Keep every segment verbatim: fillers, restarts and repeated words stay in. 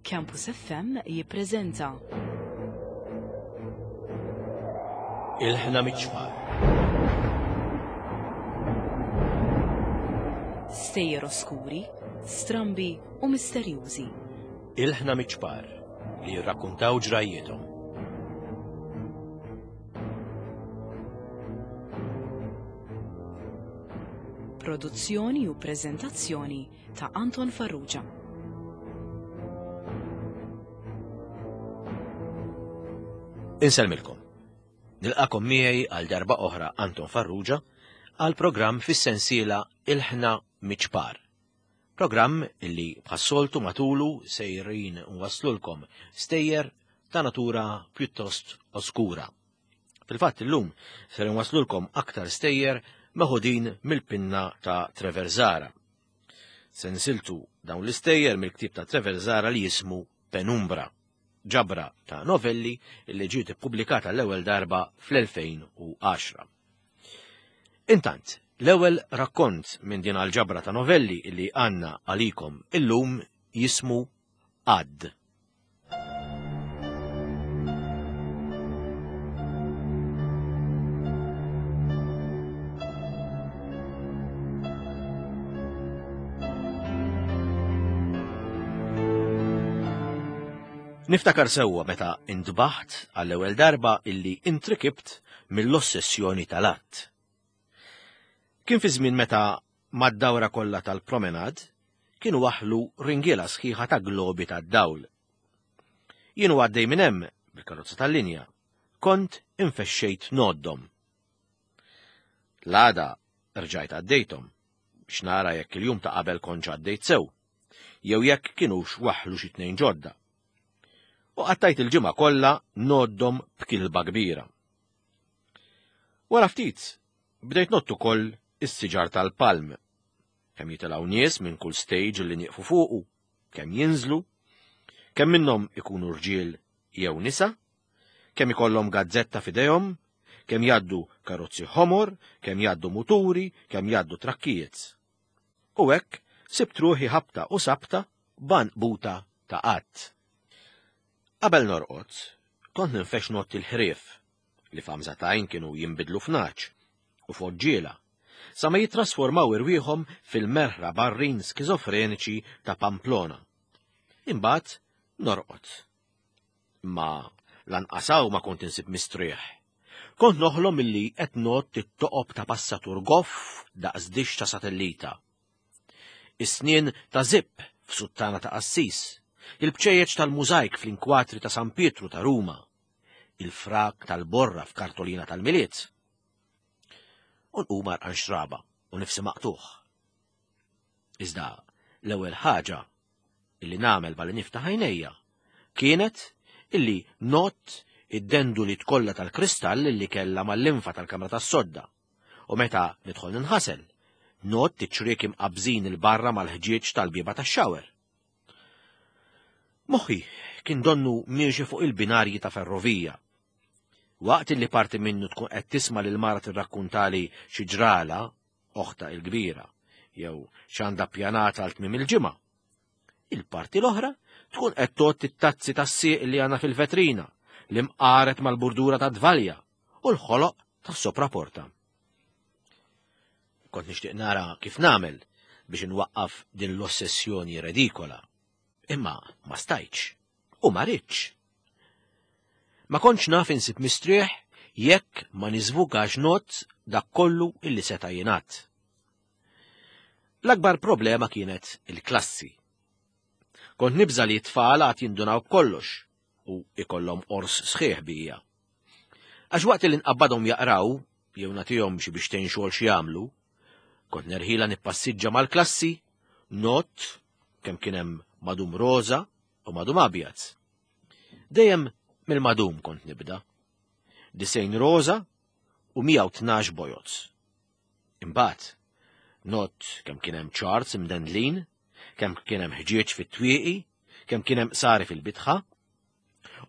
Campus F M jippreżenta Ilħna Miċ-Ċpar. Stejjer oskuri, strambi u misterjużi. Ilħna Miċ-Ċpar li jirrakkuntaw ġrajjietom. Produzzjoni u preżentazzjoni ta' Anton Farrugia. Insellmilkom. Nilqakom miegħi għal darba oħra Anton Farrugia għal programm fis-sensiela Ilħna Miċ-Ċpar. Programm illi bħas-soltu matulu sejrin nwaslulkom stejjer ta' natura pjuttost oskura. Fil-fatt illum ser nwaslulkom aktar stejjer meħudin mill-pinna ta' Trevor Zahra. Sensiltu dawn l-istejjer mill-ktieb ta' Trevor Zahra li jismu Penumbra, ġabra ta' novelli li ġiet ippubblikata l-ewwel darba fl-elfejn u għaxra. Intant, l-ewwel rakkont minn din għal-ġabra ta' novelli li għandna għalikom illum jismu Għadd. Niftakar sewwa meta intbaħt għall-ewwel darba illi intrikibt mill-ossessjoni tal-att. Kien fi żmien meta mad-dawra kollha tal-promenad kienu waħlu ringiela sħiħa ta' globi tad-dawl. Jien u għaddej minn hemm bil-karozza tal-linja, kont infexxejt noddhom. L-għada rġajt għaddejthom biex nara jekk il-jum ta' qabel kontx għaddejt sew, jew jekk kienux waħlu xi tnejn ġodda. U qattajt il-ġimgħa kollha noddhom b'kilba kbira. Wara ftit, bdejt nott ukoll is-siġar tal-palm. Kemm jitilgħu nies minn kull stage li nieqfu fuqu, kemm jinżlu, kemm minnhom ikunu rġiel jew nisa, kemm ikollhom gazzetta f'idejhom, kemm jgħaddu karozzi ħomor, kemm jgħaddu muturi, kemm jgħaddu trakkijiet. U hekk sibt ruħi ħabta u sabta b'għanqbuta ta' qatt. Qabel norqod, kont ninfex nott il-ħrief li f'għamżatajn kienu jinbidlu f'naċ u foġġiela, sa ma jittrasformaw irwieħhom fil-merħra barrin skizofreniċi ta' Pamplona. Imbagħad norqod. Ma lanqasaw ma kont insib mistrieħ. Kont noħlom illi qed nott it-toqob ta' passatur goff daqs dix ta' satellita. Is-snien ta' zipp f'suttana ta' qassis, il-bċejjeċ tal-mużajk fl-inkwatri ta' San Pietru ta' Ruma, il-frak tal-borra f'kartolina tal-Milied. U nqum għarqan xraba u nifsi maqtuħ. Iżda l-ewwel ħaġa illi nagħmel balli niftaħ għajnejja kienet illi nott id-denduli kollha tal-kristall illi kellha mal-linfa tal-kamra tas-sodda u meta nidħol ninħasel, nott iċ-ċriek imqabżin il-barra mal-ħġieġ tal-bieba tax-xawer. Moħħi kien donnu miexi fuq il-binarji ta' ferrovija. Waqt li parti minnu tkun qed tisma' lil mara tirrakkuntali xi ġrala, oħta il-kbira, jew x'għandha ppjanata għal tmiem il-ġimgħa. Il-parti l-oħra tkun qed tgħodd it-tazzi tas-sieq li għandna fil-vetrina, li mqaret mal-burdura ta' dvalja u l-ħoloq tas-sopraporta. Kont nixtieq nara kif nagħmel biex inwaqqaf din l-ossessjoni redikola. Imma ma stajtx u ma ridtx. Ma kontx naf insib mistrieħ jekk ma niżvugax not dak kollu illi seta' jingħad. L-akbar problema kienet il-klassi. Kont nibża' li t-tfal għad jindunaw b'kollox u ikollhom qors sħiħ bija. Għax waqt li nqabbadhom jaqraw jew nagħtihom xi biex tgħin xogħol xi jagħmlu, kont nerħila nippassiġġa mal-klassi, not kemm kien hemm madum roża u madum abjad. Dejjem mill-madum kont nibda. Disejn roża u mija u tnax bojod. Imbagħad, not kemm kien hemm ċarts imdendlin, kemm kien hemm ħġieġ fit-twieqi, kemm kien hemm qsari fil-bitħa,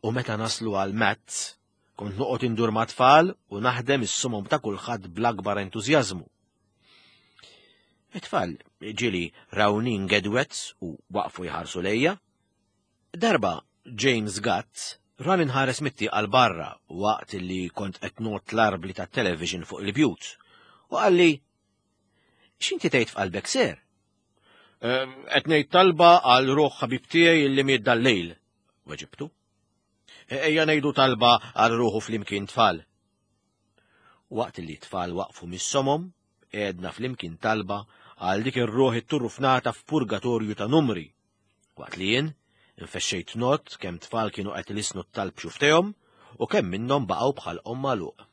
u meta naslu għal maths, kont noqgħod indur ma' tfal u naħdem is-sumom ta' kulħadd bl-akbar entużjażmu. It-tfal ġieli rawni ngedwet u waqfu jħarsu lejja. Darba James Gatt rani nħares mit-tieqa 'l barra waqt li kont qed ngħodd l-arbli tat-television fuq il-bjut u qalli x'inti tgħid f'qalbek sir? Qed ngħid talba għal ruħ ħabib tiegħi li miet dal-lejl, weġibtu. Ejja ngħidu talba għal ruħu flimkien tfal. Waqt li tfal waqfu mis-somom, għedna flimkien talba għal dik ir-ruħ it-turrufnata f'purgatorju ta' numri. Waqt li jien infexxejt ngħodd kemm tfal kienu qed ilissnu t-talb xufftejhom u kemm minnhom baqgħu b'ħalqhom magħluq.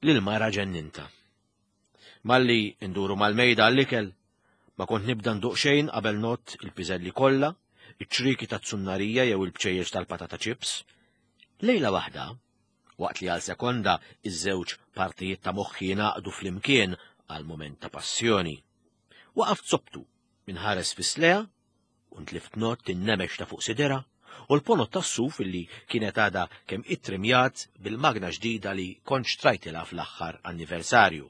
Lil mara ġennintha. Malli nduru mal-mejda għall-ikel, ma kont nibda nduq xejn qabel ngħodd il-piżelli kollha, iċ-ċriki tat-sunnarija jew il-bċejjeċ tal-patata chips. Lejla waħda, waqt li għal sekonda iż-żewġ partijiet ta' moħħi naqdu flimkien għal moment ta' passjoni. Waqaft sobtu minħares fis-slea u ntlift ngħodd in-nemex ta' fuq sidera u l-ponot tas-suf illi kienet għadha kemm ittrimjat bil-magna ġdida li kont xtrajtilha fl-aħħar anniversarju.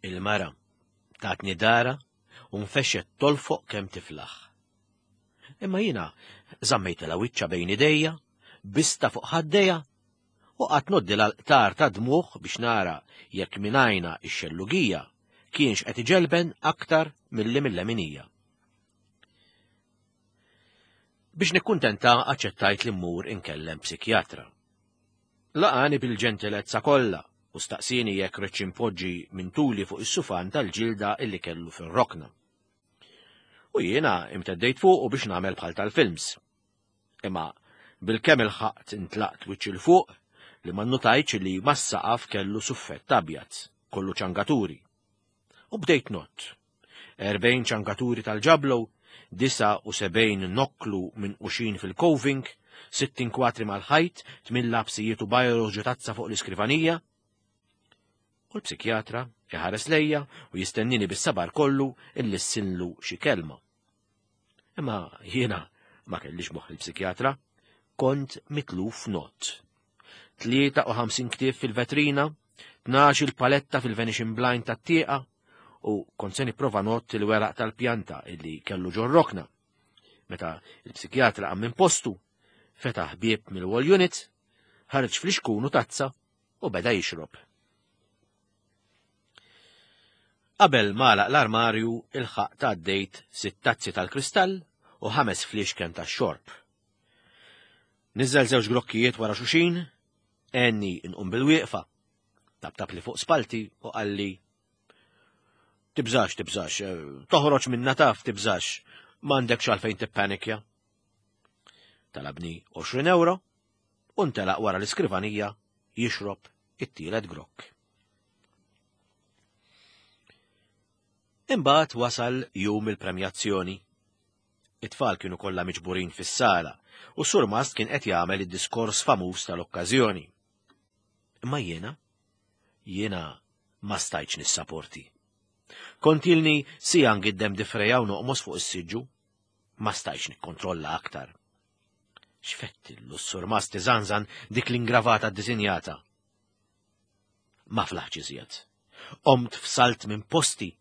Il-mara tatni dara u nfexxet tolfoq kemm tiflaħ. Imma jiena żammejtilha wiċċha bejn idejja, bistha fuq ħaddejja u qgħadt ngħoddilha l-qtar ta' dmugħ biex nara jekk minn ix-xellugija kienx qed iġelben aktar milli mill-leminija. Biex nikkuntenta aċċettajt li mmur inkellem psikjatra. Laqani bil-ġentilezza kollha u staqsini jekk ridtx inpoġġi minn tuli fuq is-sufan tal-ġilda illi kellu fir-rokna. U jiena imteddejt fuq u biex nagħmel bħal tal-films. Imma bil-kemm ilħaqt intlaqt wiċċ 'il fuq li ma nnotajtx li mas-saqaf kellu suffett abjad, kollu ċangaturi. U bdejt ngħodd. Erbgħin ċangaturi tal-ġablow, disgħa u sebgħin nokklu minquxin fil-coving, sittin kwatri mal-ħajt, tmien lapsijiet u bajros ġo tazza fuq l-iskrivanija. U l-psikjatra iħares lejja u jistennini bis-sabar kollu illi ssinlu xi kelma. Imma jiena ma kellix moħħ il-psikjatra, kont mitluf ngħodd. Tlieta u ħamsin ktieb fil-vetrina, tnax il-paletta fil-venetian blind tat-tieqa, u kont se nipprova ngħodd il-weraq tal-pjanta illi kellu ġor-rokna. Meta il-psikjatra qam minn postu, fetaħ bieb mill-wall unit, ħareġ flixkun u tazza u beda jixrob. Qabel m'għalaq l-armarju ilħaqt għaddejt sitt tazzi tal-kristall u ħames fliexken tax-xorb. Niżel żewġ grokkijiet wara xulxin, għenni nqum bil-wieqfa, tabtab li fuq spalti u qalli tibżax, tibżax, toħroġ minna taf, tibżax, m'għandekx għalfejn tippanikja. Talabni għoxrin euro u ntelaq wara l-iskrivanija jixrob it-tielet grokk. Imbagħad wasal jum il-premjazzjoni. It-tfal kienu kollha miġburin fis-sala u s-surmast kien qed jagħmel id-diskors famuż tal-okkażjoni. Imma jiena, jiena ma stajtx nissaporti. Kont ilni sija ngiddem difreja u noqmos fuq is-siġġu, ma stajtx nikkontrolla aktar. X'fettillu s-surmast iżanżan dik l-ingravata ddisinjata. Ma flaħx iżjed. Qomt f'salt minn posti,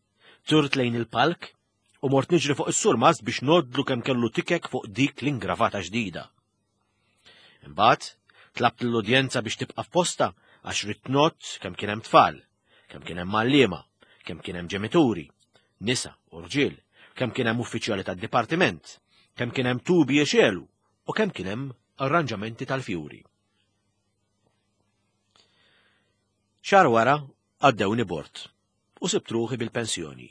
turt lejn il-palk u mort niġri fuq is-surmast biex ngħoddlu kemm kellu tikek fuq dik l-ingravata ġdida. Imbagħad tlabt lill-udjenza biex tibqa' f'posta għax ridt ngħodd kemm kien hemm tfal, kemm kien hemm għalliema, kemm kien hemm ġenituri, nisa u rġiel, kemm kien hemm uffiċjali tad-dipartiment, kemm kien hemm tubi jexelu u kemm kien hemm arranġamenti tal-fjuri. Xahar wara għaddewni bord u sibt ruħi bil-pensjoni.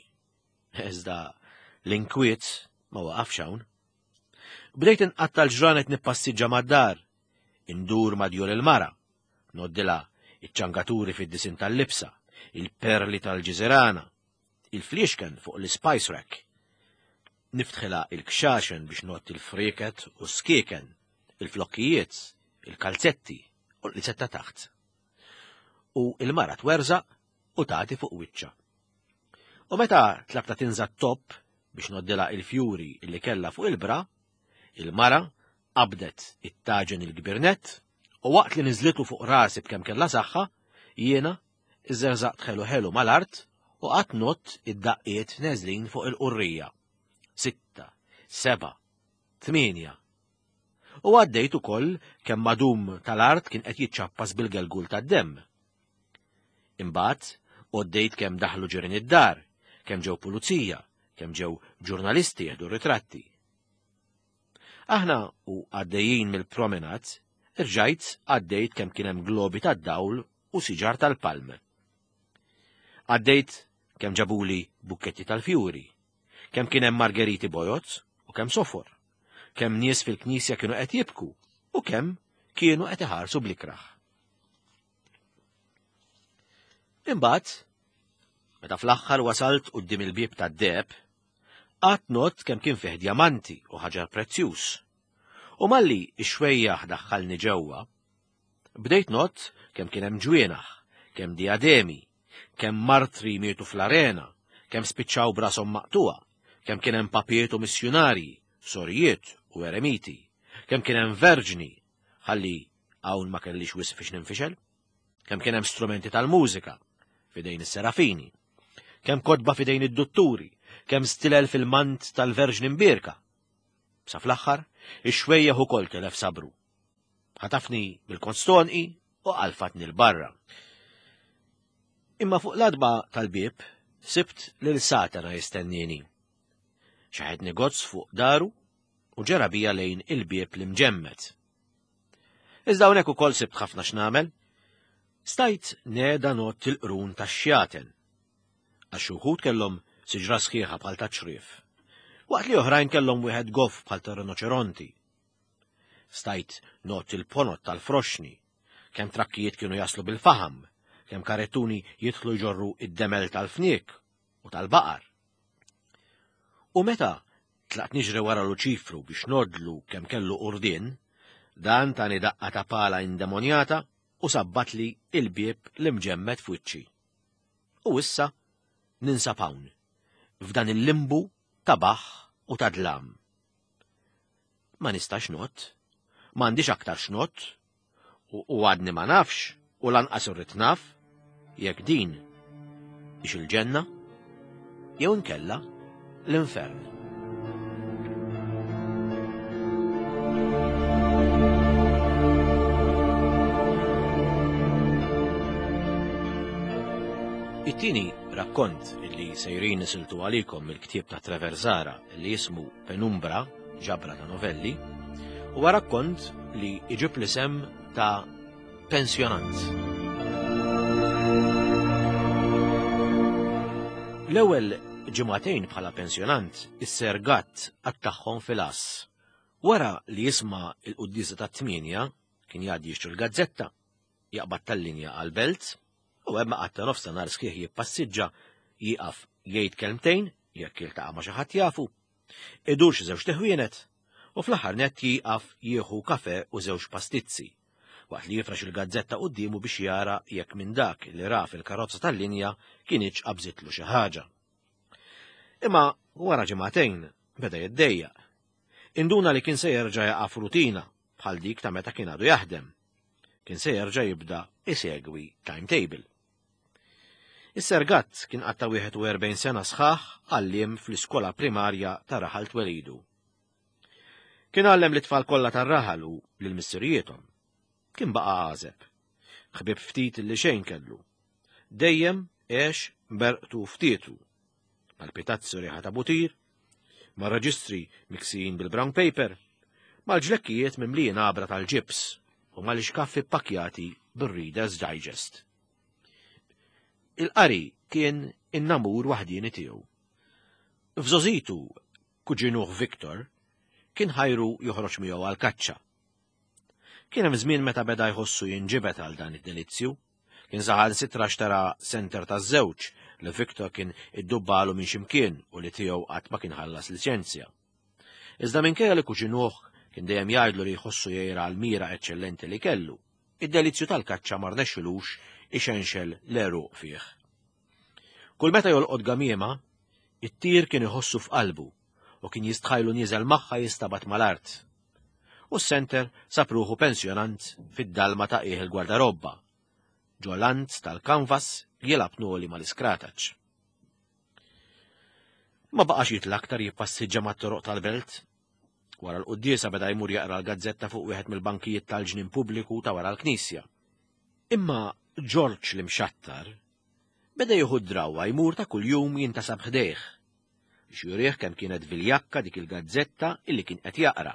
Iżda l-inkwiet ma waqafx hawn. Bdejt inqatta' l-ġranet nippassiġġa mad-dar, indur ma' djur il-mara, ngħoddilha iċ-ċangaturi fid-disin tal-libsa, il-perli tal-ġiżirana, il-fliexken fuq l-spice rack. Niftħilha il-kxaxen biex ngħodd il-frieket u skieken, il-flokkijiet, il-kalzetti u l-qlizzetta taħt. U il-mara twerżaq u tagħti fuq wiċċha. U meta tlabta tinża t-top biex ngħoddilha il-fjuri illi kellha fuq il-bra, il-mara qabdet it-taġen il-kbirnet u waqt li niżlitu fuq rasi b'kemm kellha saħħa, jiena iżżerżaqt ħelu ħelu mal-art u qatt ngħodd id-daqqiet neżlin fuq il-qurrija. Sitta, seba', tmienja. U għaddejt ukoll kemm madum tal-art kien qed jiċċappas bil-gelgul tad-demm. Imbagħad għoddejt kemm daħlu ġirien id-dar, kemm ġew pulizija, kemm ġew ġurnalisti jieħdu ritratti. Aħna u għaddejjin mill-promenat, irġajt għaddejt kemm kien hemm globi tad-dawl u siġar tal-palm. Għaddejt kemm ġabuli bukketti tal-fjuri, kemm kien hemm margeriti bojod u kemm sofor, kemm nies fil-knisja kienu qed jibku u kemm kienu qed iħarsu blikraħ. Imbagħad, meta fl-aħħar wasalt quddiem il-bieb tad-deheb, qatt not kemm kien fih djamanti u ħaġar prezzjuż. U malli x-xwejjaħ daħħalni ġewwa, bdejt not kemm kien hemm ġwienaħ, kemm diademi, kemm martri mietu fl-arena, kemm spiċċaw brashom maqtuha, kemm kien hemm papiet u missjunarji, sorijiet u eremiti, kemm kien hemm verġni, ħalli hawn ma kellix wisq fiex ninfixel, kemm kien hemm strumenti tal-mużika f'idejn is-serafini, kemm kotba f'idejn id-dutturi, kemm stilel fil-mant tal-Verġni Mbierka. Sa fl-aħħar, ix-xwejjaħ ukoll telef sabru. Ħatafni bil-konstonqi u qalfatni l-barra. Imma fuq l-adba tal-bieb sibt lil Satana jistennini. Xaħetni gozz fuq daru u ġera bija lejn il-bieb li mġemmet. Iżda hawnhekk ukoll sibt ħafna x'nagħmel. Stajt neda not il-qrun tax-xjaten. Għax uħud kellhom siġra sħiħa bħal ta' ċrif, waqt li oħrajn kellhom wieħed goff bħal ta' rinoċeronti. Stajt not il-ponot tal-froxni, kemm trakkijiet kienu jaslu bil-faham, kemm karettuni jidħlu jġorru id-demel tal-fniek u tal-baqar. U meta tlaqt niġri wara Luċifru biex nodlu kemm kellu qurdien, dan tani daqqa ta' pala indemonjata u sabbatli il-bieb li mġemmet f'wiċċi. U issa ninsab hawn, f'dan il-limbu ta' baħ u ta' dlam. Ma nistax not, m'għandix aktar x'nott, u għadni ma nafx u lanqas irrid naf jekk din hix il-ġenna jew inkella l-infern. It-tieni rakkont li sejrin nisiltu għalikom mill-ktieb ta' Trevor Zahra li jismu Penumbra, ġabra ta' novelli, huwa rakkont li iġib l-isem ta' Pensjonant. L-ewwel ġimagħtejn bħala pensjonant is-Ser Gatt qattagħhom fil-għass. Wara li jisma' il-quddiesa tat-tmienja kien jgħaddi jixtri l-gazzetta, jaqbad tal-linja għall-belt, u hemm qatta nofs ta' nhar sħiħ jippassiġġa, jieqaf jgħid kelmtejn jekk jiltaqa' ma' xi ħadd jafu, idur xi żewġ teħwienet, u fl-aħħar nett jieqaf jieħu kafe u żewġ pastizzi, waqt li jifrax il-gazzetta quddiemu biex jara jekk minn dak li ra fil-karozza tal-linja kienx qabżitlu xi ħaġa. Imma wara ġimagħtejn beda jiddejjaq. Induna li kien se jerġa' jaqa' f'rutina bħal dik ta' meta kien għadu jaħdem. Kien se jerġa' jibda isegwi timetable. Is-Ser Gatt kien qatta' wieħed u erbgħin sena sħaħ għalliem fl-iskola primarja ta' raħal twelidu. Kien għallem l-itfal kollha tar-raħal u lil missirijiethom. Kien baqa' għażeb. Ħbieb ftit li xejn kellu. Dejjem għex berqtu ftietu. Mal-pitazzi riħa ta' butir, mar-reġistri miksijin bil-brown paper, mal-ġlekkijiet mimlijin għabra tal-ġibs u mal-ixkaffi ppakkjati bir-Reader's Digest. Il-qari kien in-namur waħdieni tiegħu. F'żożitu, kuġinuh Victor kien ħajru joħroġ miegħu għall-kaċċa. Kien hemm żmien meta beda jħossu jinġibed għal dan id-delizzju. Kien saħansitra xtara senter taż-żewġ li Victor kien iddubbalu minn ximkien u li tiegħu qatt ma kien ħallas liċenzja. Iżda minkejja li kuġinuh kien dejjem jgħidlu li jħossu jgħira għal mira eċċellenti li kellu, id-delizzju tal-kaċċa ma rnexxilux ixenxel l-għeruq fih. Kull meta jolqot gamiema, it-tir kien iħossu f'qalbu u kien jistħajlu nieżel magħha jistabat mal-art. U s-senter sab ruħu pensjonant fid-dalma ta' qiegħ il-gwardarobba, ġolant tal-kanvas jilgħab noli mal-iskrataċ. Ma baqax jitla aktar jippassiġġa mat-toroq tal-belt. Wara l-quddiesa beda jmur jaqra l-gazzetta fuq wieħed mill-bankijiet tal-ġnien pubbliku ta' wara l-knisja. Imma Ġorġ l-imxattar beda jieħu d-drawwa jmur ta' kuljum jintasab ħdejh biex jurih kemm kienet viljakka dik il-gazzetta illi kien qed jaqra.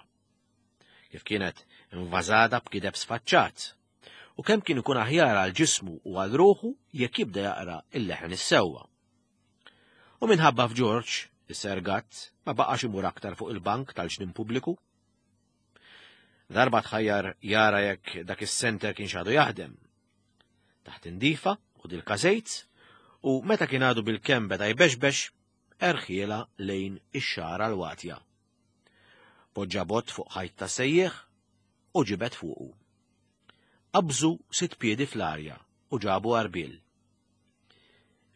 Kif kienet invażata b'kideb sfaċċat u kemm kien ikun aħjar għal ġismu u għal ruħu jekk jibda jaqra il-leħen is-sewwa. U minħabba f'Ġorġ, is-Ser Gatt ma baqax imur aktar fuq il-bank tal-ġnien pubbliku. Darba tħajjar jara jekk dak is-senter kien xadu jaħdem. Taħt indifa u dil-każejt u meta kien għadu bil-kemm beda jbexbex, erħiela lejn ix-xara l-watja. Poġġa bott fuq ħajt ta' sejjieħ u ġibed fuqu. Qabżu sitt piedi fl-arja u ġabu għarbiel.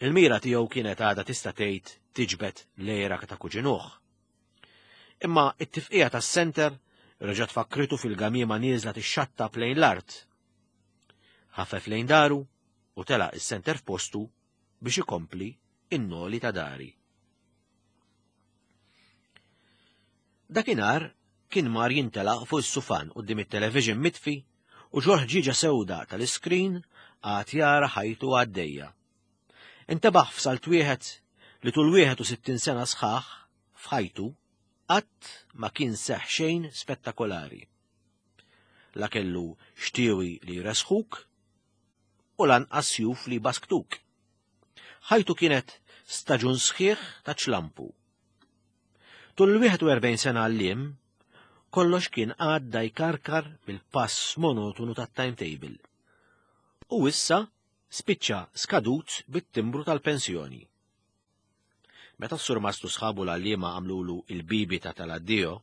Il-mira tiegħu kienet għadha tista' tgħid tiġbed lejra ta' kuġinuh. Imma it-tifqija tas-senter reġgħet fakkritu fil-gamiema nieżla tixxattab lejn l-art. Ħaffef lejn daru u telaq is-senter f'postu biex ikompli in-noli ta' dari. Dakinhar kien mar jintelaq fuq is-sufan quddiem it-television mitfi u ġo ħġieġa sewda tal-iskrin għad jara ħajtu għaddejja. Intebaħ f'salt wieħed li tul wieħed u sittin sena sħaħ f'ħajtu qatt ma kien seħ xejn spettakolari. La kellu xtiewi li jresħuk u lanqas sjuf li basktuk. Ħajtu kienet staġun sħiħ ta' ċlampu. Tul il-wieħed u erbgħin sena għalliem, kollox kien għadda jkarkar bil-pass monotonu tat-timetable. U issa spiċċa skadut bit-timbru tal-pensjoni. Meta s-surmastu sħabu l-għalliema għamlulu il-bibita tal-addio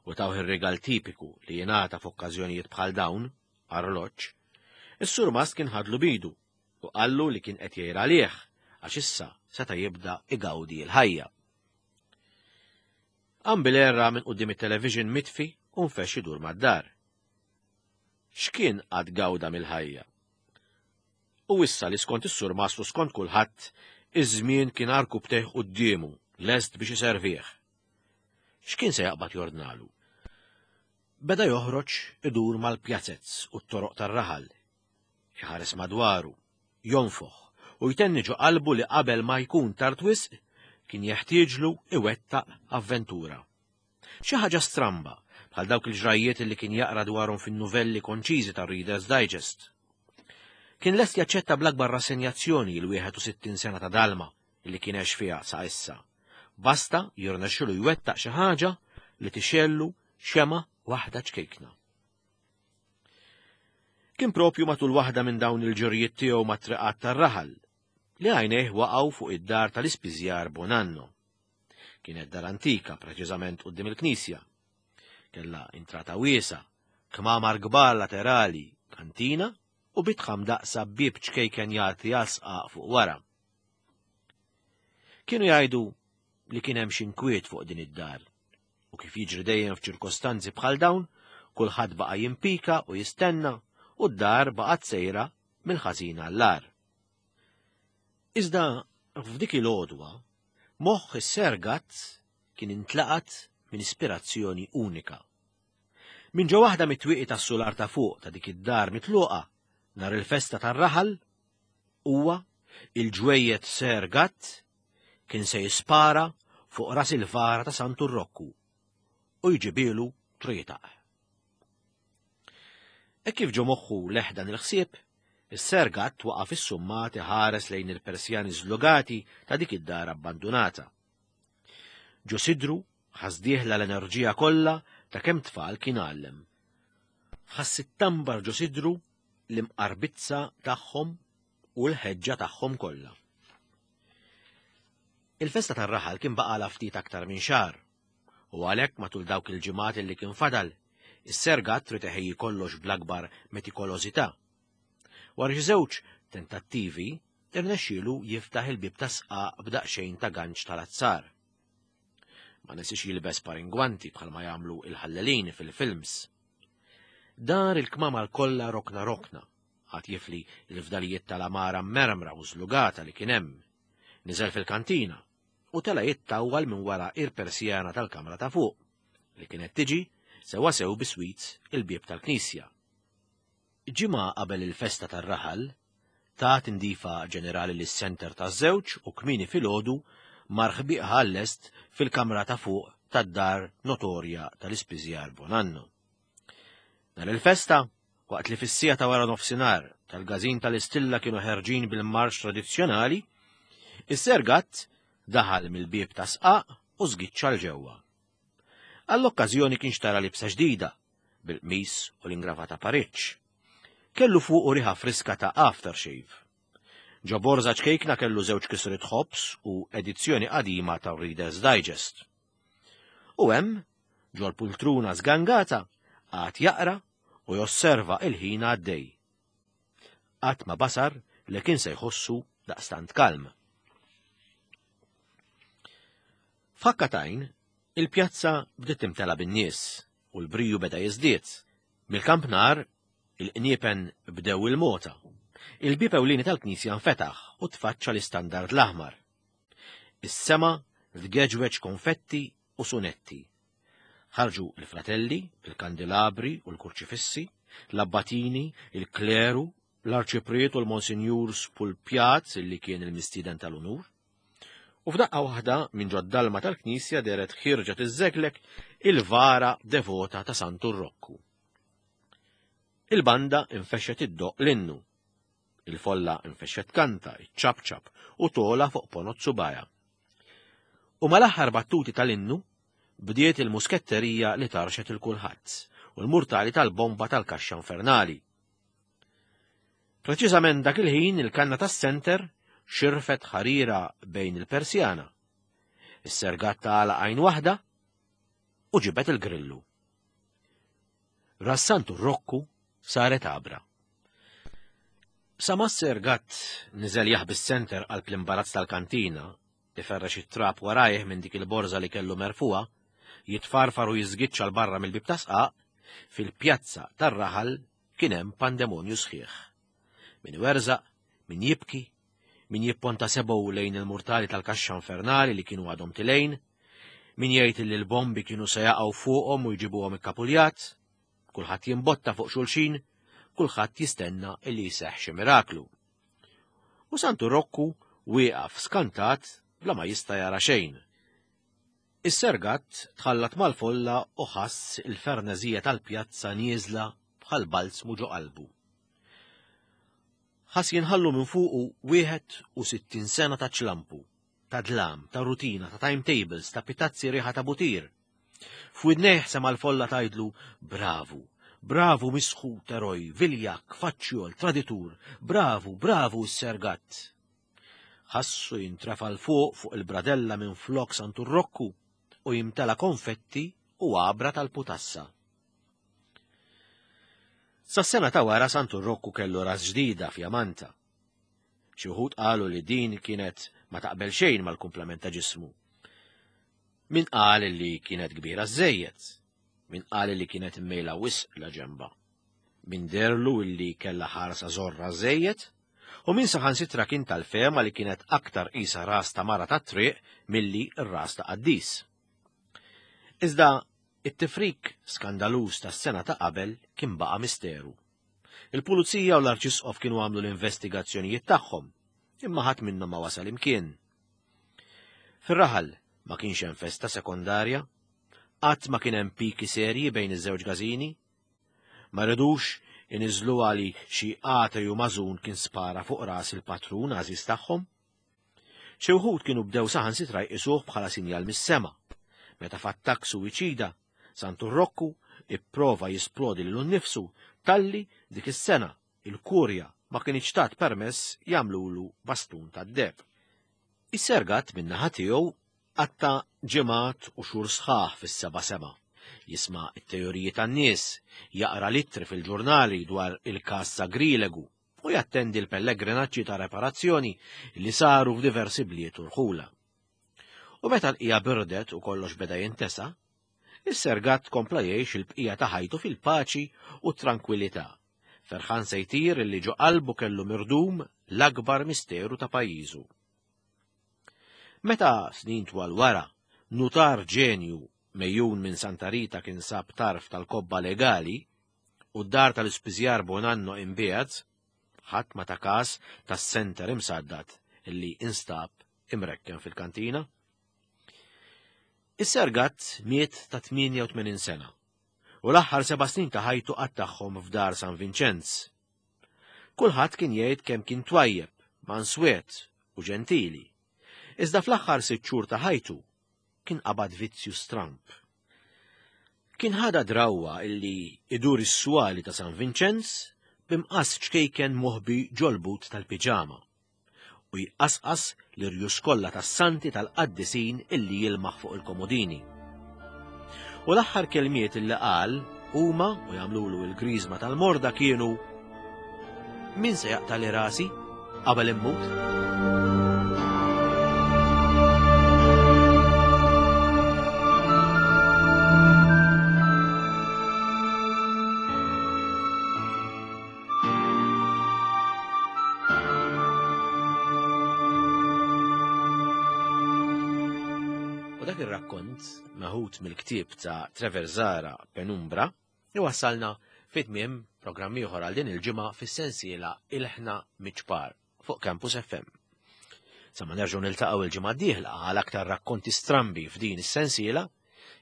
u tawh ir-regal tipiku li jingħata f'okkażjonijiet bħal dawn, arloġġ, is-surmast kien ħadlu bidu u qallu li kien qed jgħir għalih għax issa seta' jibda igawdi l-ħajja. Qam bil-erra minn quddiem it-television mitfi u nfex idur mad-dar. X'kien għad gawda mill-ħajja? U issa li skont is-surmast u skont kulħadd, iż-żmien kien arku btejh quddiemu, lest biex iservih. X'kien se jaqbad jordnalu? Beda joħroġ idur mal-pjazez u t-toroq tar-raħal. Iħares madwaru, jonfoħ u jtenni ġo qalbu li qabel ma jkun tard wisq kien jeħtieġlu iwettaq avventura. Xi ħaġa stramba bħal dawk il-ġrajjiet li kien jaqra dwarhom fin-novelli konċiżi tar-Reader's Digest. Kien lest jaċċetta bl-akbar rassenjazzjoni l-wieħed u sittin sena ta' dalma li kien għex fiha sa issa. Basta jirnexxilu jwettaq xi ħaġa li tixellu xema waħda ċkejkna. Kien propju matul waħda minn dawn il-ġurijiet tiegħu mat-triqat tar-raħal li għajnejh waqgħu fuq id-dar tal-ispiżjar Bonanno. Kienet dar antika preċiżament quddiem il-knisja. Kellha intrata wiesa, kmamar kbar laterali, kantina u bitħam daqsa bieb ċkejken jagħti għal sqaq fuq wara. Kienu jgħidu li kien hemm xi inkwiet fuq din id-dar u kif jiġri dejjem f'ċirkostanzi bħal dawn, kulħadd baqa' jimpika u jistenna u d-dar baqgħet sejra mill-ħażin għall-agħar. Iżda f'dik il-għodwa, moħħ is-Ser Gatt kien intlaqat minn ispirazzjoni unika. Minn ġo waħda mit-twieqi tas-sular ta' fuq ta' dik id-dar mitluqa nhar il-festa tar-raħal, huwa il-ġwejjed Ser Gatt kien se jispara fuq ras il-vara ta' Santu Rokku u jġibilu trietaq. E kif ġo moħħu leħ dan il-ħsieb, is-Ser Gatt waqa' fis-summat iħares lejn il-persjani żlugati ta' dik id-dar abbandunata. Ġo sidru ħasdieħla l-enerġija kollha ta' kemm tfal kien għallem. Ħass it-tambar ġo sidru l-imqarbizza tagħhom u l-ħeġġa tagħhom kollha. Il-festa tar-raħal kien baqalha ftit aktar minn xahar, u għalhekk matul dawk il-ġimgħat li kien fadal, is-Ser Gatt trid iħejji kollox bl-akbar metikolożità. Wara xi żewġ tentattivi, irnexxielu jiftaħ il-bieb ta' sqaq b'daqsxejn ta' ganċ tal-azzar. Ma nesix jilbes paringwanti bħalma jagħmlu il-ħallelin fil-films. Dar il-kmamar kollha rokna rokna, għad jifli l-fdalijiet tal-amara mermra u żlugata li kien hemm. Niżel fil-kantina u tela jittawwal minn wara il-persjana tal-kamra ta' fuq, li kienet tiġi sewwasew biswit il-bieb tal-knisja. Ġimgħa qabel il-festa tar-raħal, ta tindifa ġenerali lis-senter taż-żewġ u kmieni filgħodu mar ħbiqha għal-lest fil-kamra ta' fuq tad-dar notorja tal-Ispiżjar Bonanno. Nhar il-festa, waqt li fis-siegħa ta' wara nofsinhar tal-każin tal-Istilla kienu ħerġin bil-marx tradizzjonali, is-Ser Gatt daħal mill-bieb ta' sqaq u żgiċċa 'l ġewwa. Għall-okkażjoni kien xtara libsa ġdida, bil-qmis u l-ingravata pariċ. Kellu fuqu riħa friska ta' aftershave. Ġo borża ċkejkna kellu żewġ kisriet ħobż u edizzjoni qadima ta' Reader's Digest. U hemm, ġol-pultruna żgangata, qagħad jaqra u josserva il-ħin għaddej. Qatt ma basar li kien se jħossu daqstant kalm. F'ħakka t'għajn, il-pjazza bdiet timtela bin-nies u l-briju beda jiżdied. Mill-kampnar, il-qniepen bdew il-mota. Il-bieb ewlieni tal-knisja nfetaħ u tfaċċa l-istandard l-aħmar. Is-sema tgeġweġ konfetti u sunetti. Ħarġu l-fratelli, il-kandilabri u l-kurċifissi, l-abbatini, il-kleru, l-arċipriet u l-monsinjur Spulpjat li kien il-mistieden tal-unur. U f'daqqa waħda minn ġod-dalma tal-knisja dehret ħirġa tiżżeglek il-vara devota ta' Santu Rokku. Il-banda infexxet iddoqq l-innu. Il-folla infexxet kanta, iċċapċap u tola fuq ponot subaja. U mal-aħħar battuti tal-innu bdiet il-musketterija li tarxet il-kulħadd u l-murtali tal-bomba tal-kaxxa infernali. Preċiżament dak il-ħin il-kanna tas-senter xirfet ħarira bejn il-persjana. Is-Ser Gatt għalaq għajn waħda u ġibet il-grillu. Ras Santu Rokku saret għabra. Sa ma s-Ser Gatt niżel jaħbi s-senter qalb l-imbarazz tal-kantina, iferrex it-trab warajh minn dik il-borża li kellu merfuha, jitfarfar u jiżgiċċa 'l barra mill-bieb ta' sqaq, fil-pjazza tar-raħal kien hemm pandemonju sħiħ. Min iwerżaq, min jibki, min jipponta sebgħu lejn il-murtali tal-kaxxa infernali li kienu għadhom tilejn, min jgħid li l-bombi kienu se jaqgħu fuqhom u jġibuhom ikkapuljat, kulħadd jimbotta fuq xulxin, kulħadd jistenna li jseħħ xi miraklu. U Santu Rokku wieqaf skantat bla ma jista' jara xejn. Is-Ser Gatt tħallat mal-folla u ħass il-fernezija tal-pjazza nieżla bħal balzmu ġo qalbu. Ħass jinħallu minn fuqu wieħed u sittin sena ta' ċlampu, ta' dlam, ta' rutina, ta' timetables, ta' pitazzi riħa ta' butir. F'widnejh sema' l-folla tgħidlu bravu, bravu misħut eroj, viljak, faċċjol, traditur, bravu, bravu s-Ser Gatt. Ħassu jintrefa' 'l fuq fuq il-bradella minn flok Santu Rokku u jimtela konfetti u għabra tal-putassa. Sas-sena ta' wara Santu Rokku kellu ras ġdida fjamanta. Xi wħud qalu li din kienet ma taqbel xejn mal-kumplament ta' ġismu. Min qal li kienet kbira żejjed, min qal li kienet immejla wisq la ġemba, min derlu li kellha ħarsa żorra żejjed, u min saħansitra kien tal-fehma li kienet aktar qisha ras ta' mara tat-triq milli r-ras ta' qaddis. Iżda it-tifrik skandaluż tas-sena ta' qabel kien baqa' misteru. Il-pulizija u l-arċisqof kienu għamlu l-investigazzjonijiet tagħhom, imma ħadd minnhom ma wasal imkien. Fir-raħal ma kienx hemm festa sekondarja, qatt ma kien hemm piki serji bejn iż-żewġ każini. Ma ridux iniżlu għali xi għatej u mażun kien spara fuq ras il-patrun għażiż tagħhom. Xi wħud kienu bdew saħansitra jqisuh bħala sinjal mis-sema, meta f'attakk suwiċida Santu Rokku ipprova jisplodi lilu nnifsu talli dik is-sena il-kurja ma kienx tat permess jagħmlulu bastun tad-deheb. Is-Ser Gatt min-naħa tiegħu qatta ġimgħat u xhur sħaħ fis-seba' sema, jisma' t-teoriji tan-nies, jaqra littri fil-ġurnali dwar il-każ sagrilegu u jattendi l-pellegrinaġġi ta' reparazzjoni li saru f'diversi bliet u rħula. U meta l-qija birdet u kollox beda jintesa, is-Ser Gatt kompla jgħix il-bqija ta' ħajtu fil-paċi u t-tranquillità. Ferħan se jtir li ġo qalbu kellu mirdum l-akbar misteru ta' pajjiżu. Meta snin twal wara, nutar ġenju mejjun minn Santa Rita kien sab tarf tal-kobba legali u d-dar tal-ispiżjar Bonanno imbiegħet, ħadd ma ta każ tas-senter imsaddat illi instab imrekken fil-kantina. Is-Sergat miet ta' tmienja u tmenin sena u l-aħħar seba' snin ta' ħajtu qattagħhom f'dar San Vinċenz. Kulħadd kien jgħid kemm kien twajjeb, manswet u ġentili. Iżda fl-aħħar sitt xhur ta' ħajtu kien qabad vizzju stramp. Kien ħada drawwa illi idur is-swali ta' San Vinċenz b'imqas ċkejken moħbi ġol-but tal-piġama u jqasqas l-irjus kollha tas-santi tal-qaddisin illi jilmaħ fuq il-komodini. U l-aħħar kelmiet illi qal huma u jagħmlulu l-griżma tal-morda kienu: "Min se jaqtali rasi qabel immut?" U dak ir-rakkont meħud mill-ktieb ta' Trevor Zahra Penumbra iwassalna fi tmiem programm ieħor għal din il-ġimgħa fis-sensiela Ilħna Miċ-Ċpar fuq Campus F M. Sa ma nerġgħu niltaqgħu il-ġimgħa d-dieħla għal aktar rakkonti strambi f'din is-sensiela,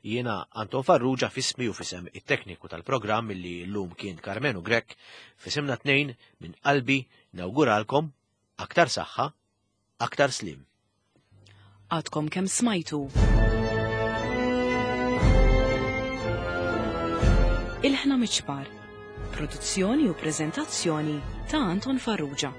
jiena Anton Farrugia, f'ismi u f'isem it-tekniku tal-programm illi llum kien Karmenu Grek, f'isimna tnejn minn qalbi nawguralkom aktar saħħa, aktar slim. Għadkom kemm smajtu Ilħna Miċ-Ċpar, produzzjoni u prezentazzjoni ta' Anton Farrugia.